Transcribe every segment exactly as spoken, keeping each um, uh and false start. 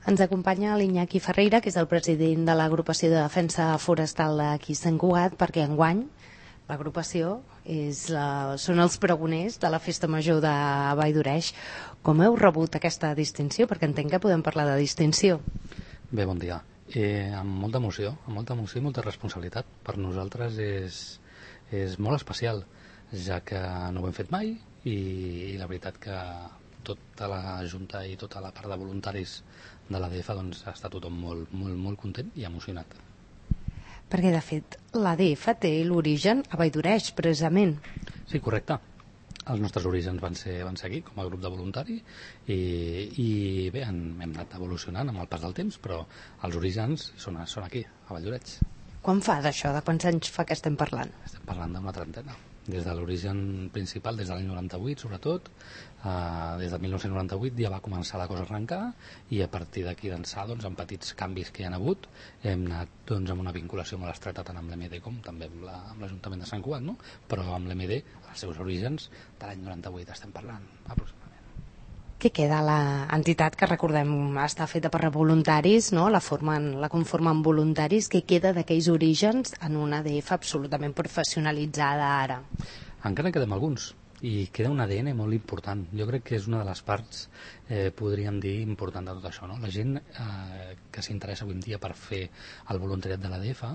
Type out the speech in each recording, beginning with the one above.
Ens acompanya l'Iñaki Ferreira, que és el president de l'agrupació de defensa forestal d'aquí Sant Cugat, perquè enguany l'agrupació és la, són els pregoners de la Festa Major de Vall d'Oreix. Com heu rebut aquesta distinció? Perquè entenc que podem parlar de distinció. Bé, bon dia. Eh, amb molta emoció, amb molta emoció i molta responsabilitat. Per nosaltres és, és molt especial, ja que no ho hem fet mai i, i la veritat que tota la Junta i tota la part de voluntaris de l'A D F doncs, està tothom molt, molt, molt content i emocionat. Perquè, de fet, l'A D F té l'origen a Vall d'Oreix, precisament. Sí, correcte. Els nostres orígens van ser, van ser aquí, com a grup de voluntari, i, i bé, hem, hem anat evolucionant amb el pas del temps, però els orígens són, són aquí, a Vall d'Oreix. Quan fa d'això? De quants anys fa que estem parlant? Estem parlant d'una trentena. Des de l'origen principal, des de l'any noranta-vuit, sobretot, eh, des de mil nou-cents noranta-vuit ja va començar la cosa a arrencar, i a partir d'aquí d'ençà, doncs, amb petits canvis que hi ha hagut, hem anat doncs, amb una vinculació molt estreta tant amb l'E M D com també amb l'Ajuntament la, de Sant Cugat, no? Però amb l'E M D, els seus orígens, de l'any noranta-vuit estem parlant, aproximadament. Què queda l'entitat, que recordem està feta per voluntaris, no? la, formen, la conformen voluntaris, què queda d'aquells orígens en una A D F absolutament professionalitzada ara? Encara en quedem alguns, i queda un A D N molt important. Jo crec que és una de les parts, eh, podríem dir, important de tot això, no? La gent eh, que s'interessa avui en dia per fer el voluntariat de l'A D F,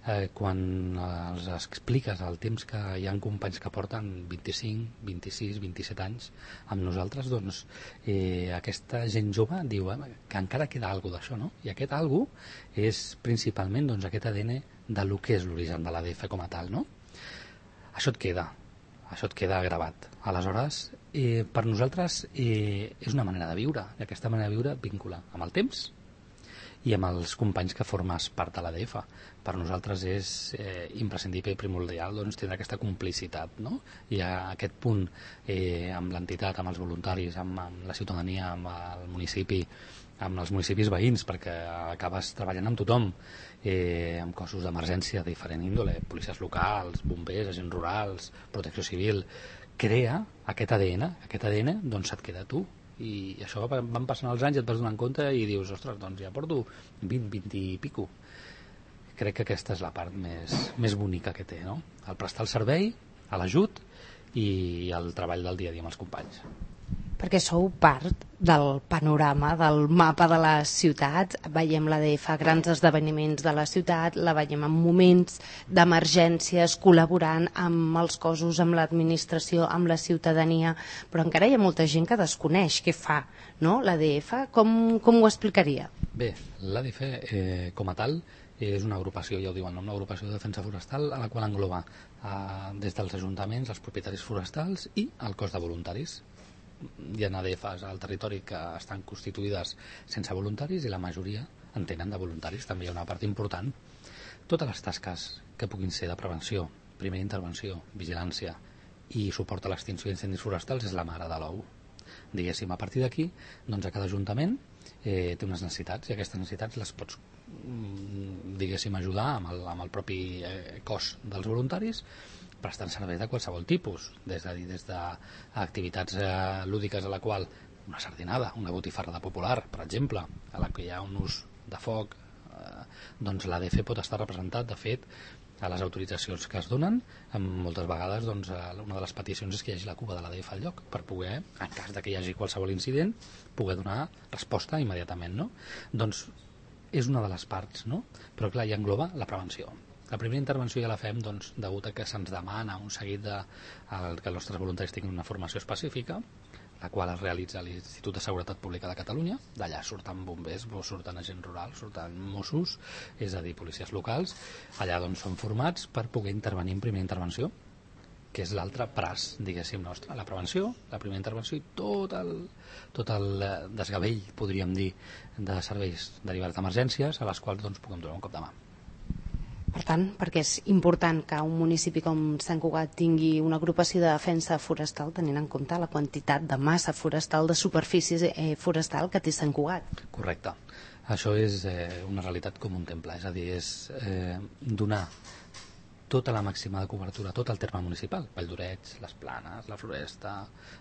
eh, quan els expliques el temps que hi ha companys que porten vint-i-cinc, vint-i-sis, vint-i-set anys amb nosaltres, doncs eh, aquesta gent jove diu eh, que encara queda alguna d'això, no? I aquest alguna és principalment doncs, aquest A D N de lo que és l'origen de l'A D F com a tal, no? Això et queda. Això et queda gravat. Aleshores, eh, per nosaltres eh, és una manera de viure, i aquesta manera de viure vincula amb el temps i amb els companys que formes part de l'A D F. Per nosaltres és eh, imprescindible i primordial doncs, tenir aquesta complicitat, no? I a aquest punt eh, amb l'entitat, amb els voluntaris, amb, amb la ciutadania, amb el municipi, amb els municipis veïns, perquè acabes treballant amb tothom, eh, amb cossos d'emergència de diferent índole, policies locals, bombers, agents rurals, protecció civil, crea aquest A D N, aquest A D N doncs et queda a tu, i això van passant els anys i et vas donant compte i dius, ostres, doncs ja porto vint, vint i pico. Crec que aquesta és la part més, més bonica que té, no? El prestar el servei, l'ajut i el treball del dia a dia amb els companys. Perquè sou part del panorama, del mapa de les ciutats. Veiem l'A D F a grans esdeveniments de la ciutat, la veiem en moments d'emergències, col·laborant amb els cossos, amb l'administració, amb la ciutadania, però encara hi ha molta gent que desconeix què fa, no? L'A D F, com, com ho explicaria? Bé, l'A D F eh, com a tal és una agrupació, ja ho diu el nom, una agrupació de defensa forestal a la qual engloba eh, des dels ajuntaments, els propietaris forestals i el cos de voluntaris. Hi ha A D Fs al territori que estan constituïdes sense voluntaris i la majoria en tenen de voluntaris. També hi ha una part important. Totes les tasques que puguin ser de prevenció, primera intervenció, vigilància i suport a l'extinció d'incendis forestals és la mare de l'ou. Diguéssim, a partir d'aquí, doncs a cada ajuntament eh, té unes necessitats i aquestes necessitats les pots diguéssim ajudar amb el, amb el propi eh, cos dels voluntaris, prestant serveis de qualsevol tipus, des de, des d'activitats eh, lúdiques a la qual una sardinada, una botifarra de popular, per exemple, a la que hi ha un ús de foc, eh, doncs l'A D F pot estar representat, de fet, a les autoritzacions que es donen, moltes vegades doncs, una de les peticions és que hi hagi la cuba de l'A D F al lloc, per poder, en cas de que hi hagi qualsevol incident, poder donar resposta immediatament, no? Doncs és una de les parts, no? Però clar, hi engloba la prevenció. La primera intervenció ja la fem doncs, degut a que se'ns demana un seguit de el, que els nostres voluntaris tinguin una formació específica, la qual es realitza a l'Institut de Seguretat Pública de Catalunya. D'allà surten bombers, surten agents rurals, surten Mossos, és a dir, policies locals. Allà doncs, són formats per poder intervenir en primera intervenció, que és l'altre braç, diguéssim, nostre. La prevenció, la primera intervenció i tot el, tot el desgavell, podríem dir, de serveis derivats d'emergències a les quals doncs, puguem donar un cop de mà. Per tant, perquè és important que un municipi com Sant Cugat tingui una agrupació de defensa forestal, tenint en compte la quantitat de massa forestal, de superfície eh, forestal que té Sant Cugat. Correcte. Això és eh, una realitat com un temple, és a dir, és eh, donar tota la màxima de cobertura, tot el terme municipal, Valldoreix, les Planes, la Floresta,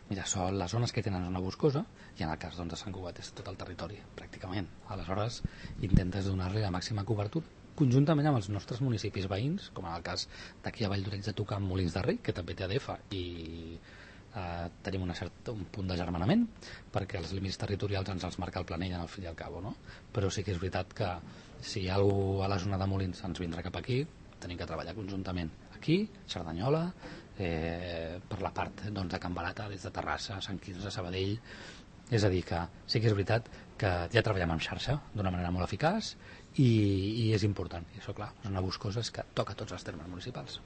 Mirasol, les zones que tenen zona boscosa, i en el cas doncs, de Sant Cugat és tot el territori, pràcticament. Aleshores, intentes donar-li la màxima cobertura, conjuntament amb els nostres municipis veïns, com en el cas d'aquí a Valldoreix de tocar amb Molins de Rei, que també té A D F, i eh, tenim una certa, un punt d'agermanament, perquè els límits territorials ens els marca el planell en el fi i al cabo, no? Però sí que és veritat que si hi ha algú a la zona de Molins ens vindrà cap aquí, tenim que treballar conjuntament aquí, Cerdanyola, eh, per la part doncs, de Can Barata, des de Terrassa, Sant Quirze, Sabadell. És a dir, que sí que és veritat que ja treballem en xarxa d'una manera molt eficaç i, i és important. I això, clar, és una boscosa que toca tots els termes municipals.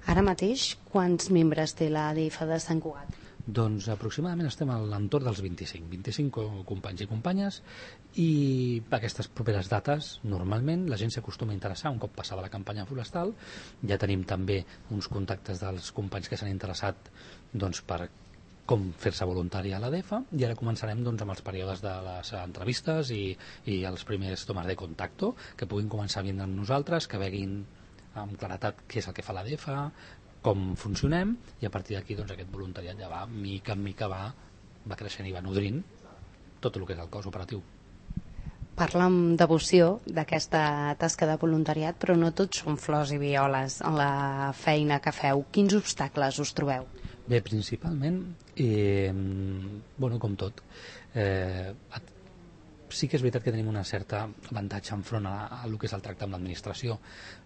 Ara mateix, quants membres té l'A D F de Sant Cugat? Doncs aproximadament estem a l'entorn dels vint-i-cinc, vint-i-cinc companys i companyes, i aquestes properes dates normalment la gent s'acostuma a interessar un cop passada la campanya forestal. Ja tenim també uns contactes dels companys que s'han interessat doncs, per com fer-se voluntari a l'A D F, i ara començarem doncs, amb els períodes de les entrevistes i, i els primers tomes de contacte, que puguin començar a vindre amb nosaltres, que veguin amb claretat què és el que fa l'A D F, com funcionem, i a partir d'aquí doncs, aquest voluntariat ja va, mica en mica va, va creixent i va nodrint tot el que és el cos operatiu. Parla amb devoció d'aquesta tasca de voluntariat, però no tots són flors i violes en la feina que feu. Quins obstacles us trobeu? Bé, principalment, eh, bueno, com tot, eh, sí que és veritat que tenim una certa avantatge enfront a, a el que és el tracte amb l'administració,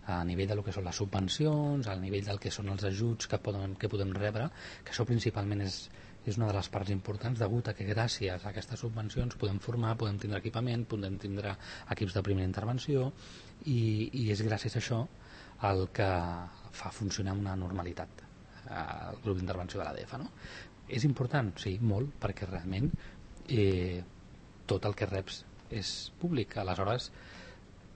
a nivell del que són les subvencions, a nivell del que són els ajuts que, poden, que podem rebre, que això principalment és, és una de les parts importants, degut a que gràcies a aquestes subvencions podem formar, podem tindre equipament, podem tindre equips de primera intervenció, i, i és gràcies a això el que fa funcionar una normalitat el grup d'intervenció de l'A D F, no? És important? Sí, molt, perquè realment eh, tot el que reps és públic. Aleshores,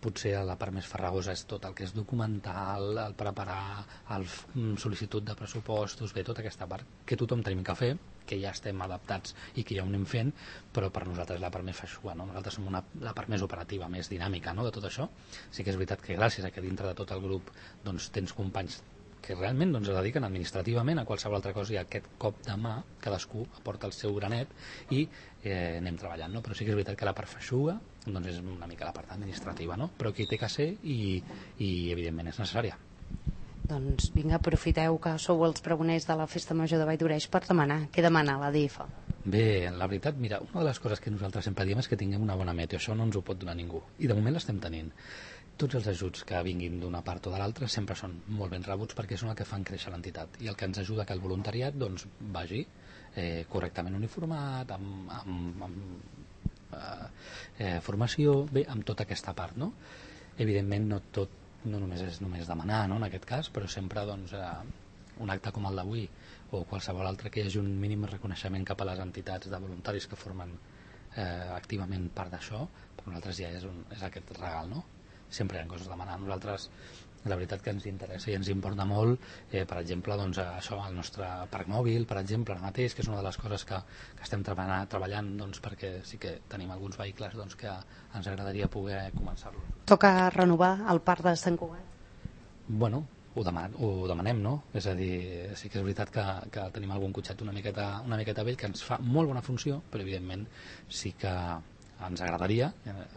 potser la part més farragosa és tot el que és documental, el preparar, el sol·licitud de pressupostos, bé, tota aquesta part que tothom tenim que fer, que ja estem adaptats i que ja ho anem fent, però per nosaltres la part més feixuga, no? Nosaltres som una, la part més operativa, més dinàmica, no?, de tot això. Sí que és veritat que gràcies a que dintre de tot el grup doncs, tens companys que realment doncs, es dediquen administrativament a qualsevol altra cosa, i aquest cop de mà cadascú aporta el seu granet i eh, anem treballant, no? Però sí que és veritat que la part feixuga doncs, és una mica la part administrativa, no? Però aquí té que ser i, i evidentment és necessària. Doncs vinga, aprofiteu que sou els pregoners de la Festa Major de Valldoreix per demanar. Què demana l'A D F? Bé, la veritat, mira, una de les coses que nosaltres sempre diem és que tinguem una bona meteo, això no ens ho pot donar ningú, i de moment l'estem tenint. Tots els ajuts que vinguin d'una part o de l'altra sempre són molt ben rebuts perquè són el que fan créixer l'entitat i el que ens ajuda que el voluntariat doncs, vagi eh, correctament uniformat, amb, amb, amb eh, eh, formació, bé, amb tota aquesta part, no? Evidentment no tot, no només és només demanar, no, en aquest cas, però sempre doncs, eh, un acte com el d'avui o qualsevol altre que hi hagi un mínim reconeixement cap a les entitats de voluntaris que formen eh, activament part d'això, per nosaltres ja és, un, és aquest regal, no? Sempre hi ha coses a demanar. Nosaltres la veritat que ens interessa i ens importa molt, eh, per exemple, doncs, això, el nostre parc mòbil, per exemple, ara mateix, que és una de les coses que, que estem treballant, treballant doncs, perquè sí que tenim alguns vehicles doncs, que ens agradaria poder començar-los. Toca renovar el parc de Sant Cugat? Bueno, ho, deman ho demanem, no? És a dir, sí que és veritat que, que tenim algun cotxet una miqueta, una miqueta vell que ens fa molt bona funció, però evidentment sí que ens agradaria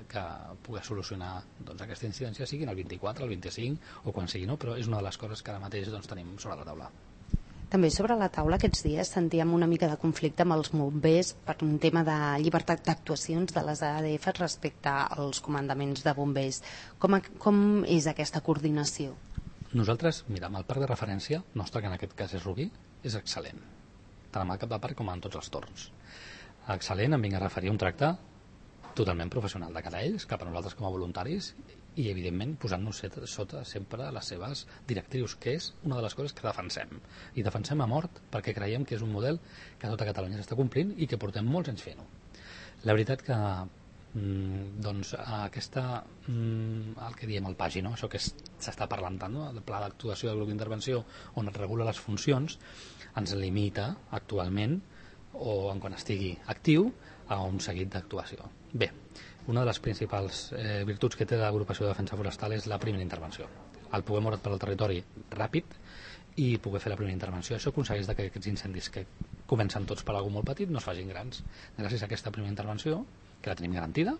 que pogués solucionar doncs, aquesta incidència, sigui el vint-i-quatre, el vint-i-cinc o quan sigui, no? Però és una de les coses que ara mateix doncs, tenim sobre la taula. També sobre la taula aquests dies sentíem una mica de conflicte amb els bombers per un tema de llibertat d'actuacions de les A D F respecte als comandaments de bombers. Com, a, com és aquesta coordinació? Nosaltres, mira, amb el parc de referència nostre, que en aquest cas és Rubí, és excel·lent, tant amb el cap de parc com en tots els torns. Excel·lent, em vinc a referir a un tracte totalment professional de cara a ells, cap a nosaltres com a voluntaris, i evidentment posant-nos sota sempre les seves directrius, que és una de les coses que defensem, i defensem a mort perquè creiem que és un model que tota Catalunya s'està complint i que portem molts anys fent-ho. La veritat que mm, doncs aquesta mm, el que diem el pagi, no? Això que s'està parlant tant, no? El pla d'actuació del grup d'intervenció on es regula les funcions ens limita actualment, o en quan estigui actiu, a un seguit d'actuació. Bé, una de les principals eh, virtuts que té l'agrupació de defensa forestal és la primera intervenció. el poder moure per al territori ràpid i poder fer la primera intervenció. Això aconsegueix que aquests incendis que comencen tots per algú molt petit no es facin grans. Gràcies a aquesta primera intervenció, que la tenim garantida,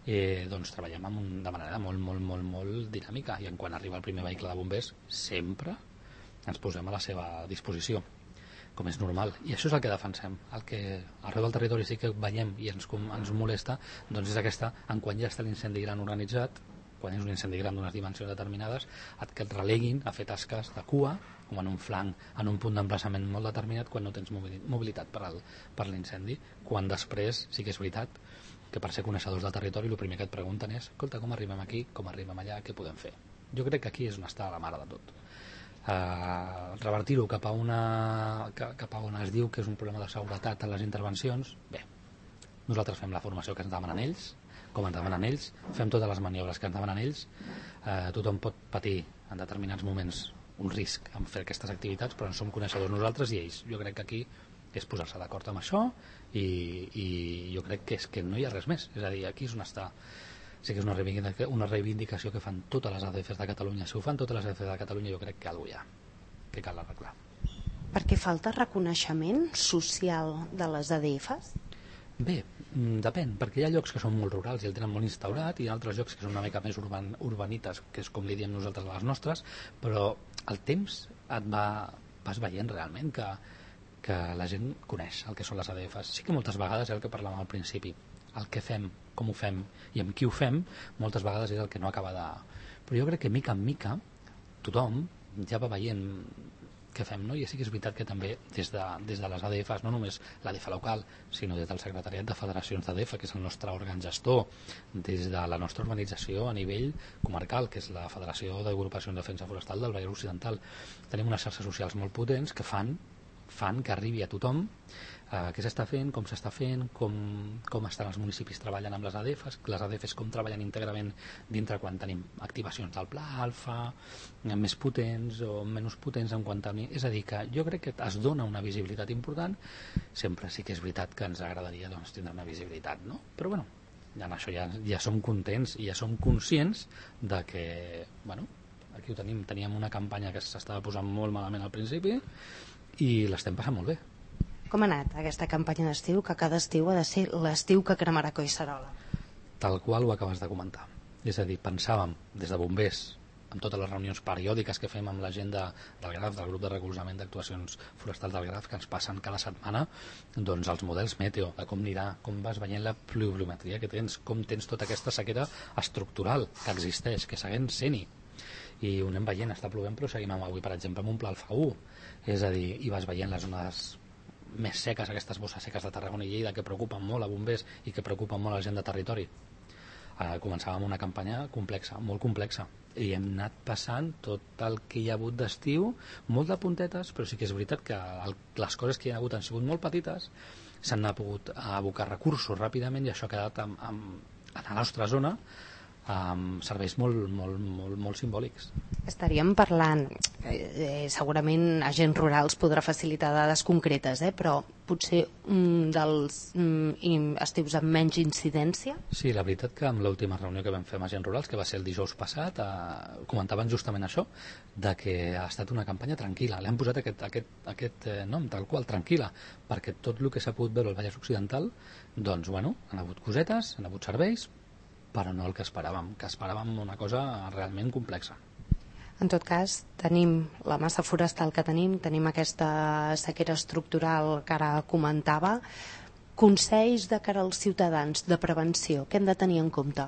eh, doncs treballem amb un, de manera molt, molt, molt, molt dinàmica, i en quan arriba el primer vehicle de bombers sempre ens posem a la seva disposició, com és normal, i això és el que defensem. El que arreu del territori sí que veiem i ens, ens molesta, doncs és aquesta, en quan ja està l'incendi gran organitzat, quan és un incendi gran d'unes dimensions determinades, que et releguin a fer tasques de cua, com en un flanc, en un punt d'emplaçament molt determinat, quan no tens mobilitat per, al, per l'incendi, quan després sí que és veritat que per ser coneixedors del territori el primer que et pregunten és, escolta, com arribem aquí, com arribem allà, què podem fer? Jo crec que aquí és on està la mare de tot. Uh, revertir-ho cap a una cap a on es diu que és un problema de seguretat en les intervencions, bé, nosaltres fem la formació que ens demanen ells, com ens demanen ells, fem totes les maniobres que ens demanen ells. Eh, tothom pot patir en determinats moments un risc en fer aquestes activitats, però en som coneixedors nosaltres i ells. Jo crec que aquí és posar-se d'acord amb això i, i jo crec que és que no hi ha res més. És a dir, aquí és on està. Sí que és una reivindicació, una reivindicació que fan totes les A D Fs de Catalunya. Si ho fan totes les A D Fs de Catalunya, jo crec que alguna cosa hi ha, que cal arreglar. Perquè falta reconeixement social de les A D Fs? Bé, depèn, perquè hi ha llocs que són molt rurals i el tenen molt instaurat, i hi ha altres llocs que són una mica més urban, urbanites, que és com li diem nosaltres a les nostres, però el temps et va, vas veient realment que, que la gent coneix el que són les A D Fs. Sí que moltes vegades és el que parlàvem al principi, el que fem, com ho fem i amb qui ho fem, moltes vegades és el que no acaba de... Però jo crec que mica en mica tothom ja va veient que fem, no? I sí que és veritat que també des de, des de les A D Fs, no només l'A D F local, sinó des del Secretariat de Federacions d'A D F, que és el nostre òrgan gestor, des de la nostra organització a nivell comarcal, que és la Federació d'Agrupacions de Defensa Forestal del Vallès Occidental, tenim unes xarxes socials molt potents que fan fan que arribi a tothom eh, què s'està fent, com s'està fent, com, com estan els municipis treballant amb les A D Fs, les A D Fs com treballen íntegrament dintre quan tenim activacions del Pla Alfa, més potents o menys potents en quant a... És a dir, que jo crec que es dona una visibilitat important, sempre sí que és veritat que ens agradaria doncs, tindre una visibilitat, no? Però bueno, en això ja, ja som contents i ja som conscients de que, bueno, aquí ho tenim, teníem una campanya que s'estava posant molt malament al principi i l'estem passant molt bé. Com ha anat aquesta campanya d'estiu, que cada estiu ha de ser l'estiu que cremarà Collserola? Tal qual ho acabes de comentar. És a dir, pensàvem des de bombers, amb totes les reunions periòdiques que fem amb la gent de, del GRAF, del grup de recolzament d'actuacions forestals del GRAF, que ens passen cada setmana, doncs els models meteo, de com anirà, com vas veient la pluviometria que tens, com tens tota aquesta sequera estructural que existeix, que segueix sent-hi. I ho anem veient, està plovent, però seguim amb avui, per exemple, amb un pla Alfa u. És a dir, i vas veient les zones més seques, aquestes bosses seques de Tarragona i Lleida, que preocupen molt a bombers i que preocupen molt a la gent de territori. Eh, començàvem una campanya complexa, molt complexa, i hem anat passant tot el que hi ha hagut d'estiu, molt de puntetes, però sí que és veritat que el, les coses que hi ha hagut han sigut molt petites, s'han pogut abocar recursos ràpidament i això ha quedat amb, amb, en la nostra zona amb serveis molt, molt, molt, molt simbòlics. Estaríem parlant, eh, segurament agents rurals podrà facilitar dades concretes, eh, però potser un dels mm, estius amb menys incidència? Sí, la veritat que amb l'última reunió que vam fer amb agents rurals, que va ser el dijous passat, eh, comentaven justament això, de que ha estat una campanya tranquil·la. L'hem posat aquest, aquest, aquest eh, nom, tal qual, tranquil·la, perquè tot el que s'ha pogut veure al Vallès Occidental, doncs, bueno, han hagut cosetes, han hagut serveis, però no el que esperàvem, que esperàvem una cosa realment complexa. En tot cas, tenim la massa forestal que tenim, tenim aquesta sequera estructural que ara comentava. Consells de cara als ciutadans de prevenció, què hem de tenir en compte?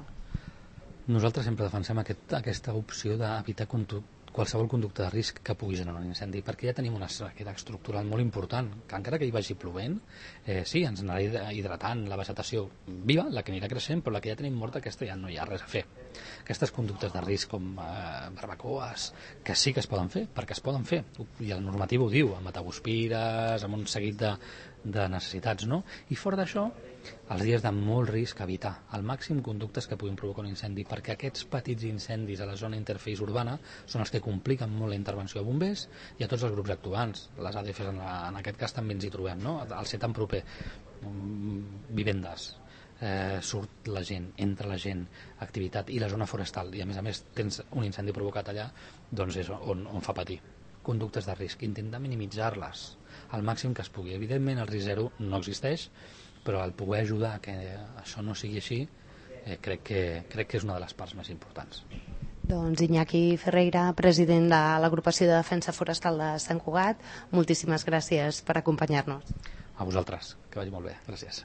Nosaltres sempre defensem aquest, aquesta opció d'evitar qualsevol conducta de risc que pugui generar un incendi, perquè ja tenim una sequera estructural molt important, que encara que hi vagi plovent, eh, sí, ens anirà hidratant la vegetació viva, la que anirà creixent, però la que ja tenim morta, aquesta ja no hi ha res a fer. Aquestes conductes de risc com eh, barbacoes, que sí que es poden fer, perquè es poden fer, i el normatiu ho diu, amb mataguspires, amb un seguit de, de necessitats, no? I fora d'això, els dies de molt risc, evitar al màxim conductes que puguin provocar un incendi, perquè aquests petits incendis a la zona interface urbana són els que compliquen molt la intervenció de bombers i a tots els grups actuants. Les A D Fs en, la, en aquest cas també ens hi trobem, no? Al ser tan proper, vivendes, eh, surt la gent, entra la gent, activitat i la zona forestal, i a més a més tens un incendi provocat allà, doncs és on, on fa patir. Conductes de risc, intentar minimitzar-les al màxim que es pugui. Evidentment el risc zero no existeix, però el poder ajudar a que això no sigui així, eh, crec, que, crec que és una de les parts més importants. Doncs Iñaki Ferreira, president de l'Agrupació de Defensa Forestal de Sant Cugat, moltíssimes gràcies per acompanyar-nos. A vosaltres, que vagi molt bé. Gràcies.